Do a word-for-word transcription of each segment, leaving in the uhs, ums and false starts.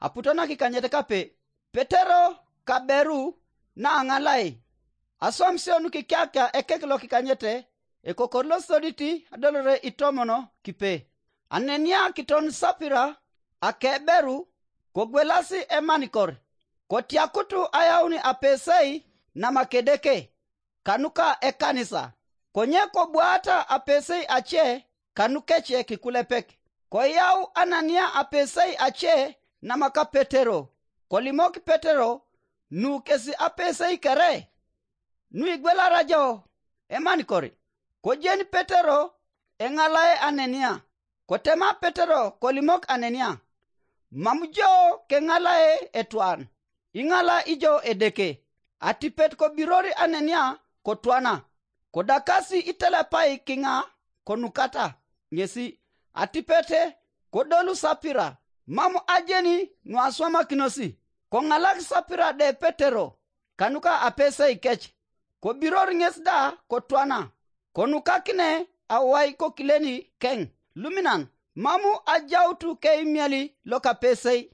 aputo nakikanyet kape. Petero kaberu naaŋalai. Aswam sio nukikyakia ekek lokikanyete, ekokor losodit adolore itomono kipe. Anenia kiton Sapira akeberu, kogwelasi emanikor, kotiakutu ayauni apesei namakedeke kanuka ekanisa. Konye kobwaata apesei ace kanukece kikulepek. Koyau Anania apesei ace namaka Petero, kolimok Petero nu kesi apesei kere. Nuigwelara jo emanikor. Kojeni Petero eŋalae Anania. Kotema Petero kolimok Anania, mam jo keŋalae etwan, iŋala ijo Edeke. Atipet kobiror Anania kotwana, kodakasi itelepai kiŋa konukata ŋesi. Atipete kodolu Sapira, mam ajeni nuaswamakinosi. Koŋalak Sapira de Petero kanuka apesei kec, kobiror ŋes da kotwana, konukakine awai kokileni keŋ luminan. Mam ajautu keimieli lokapesei,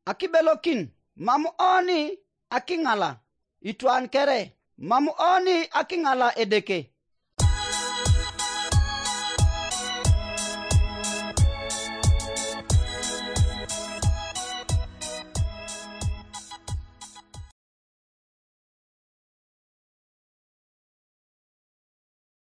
akibelokin, mam oni akiŋala itwan kere, mam oni akiŋala Edeke.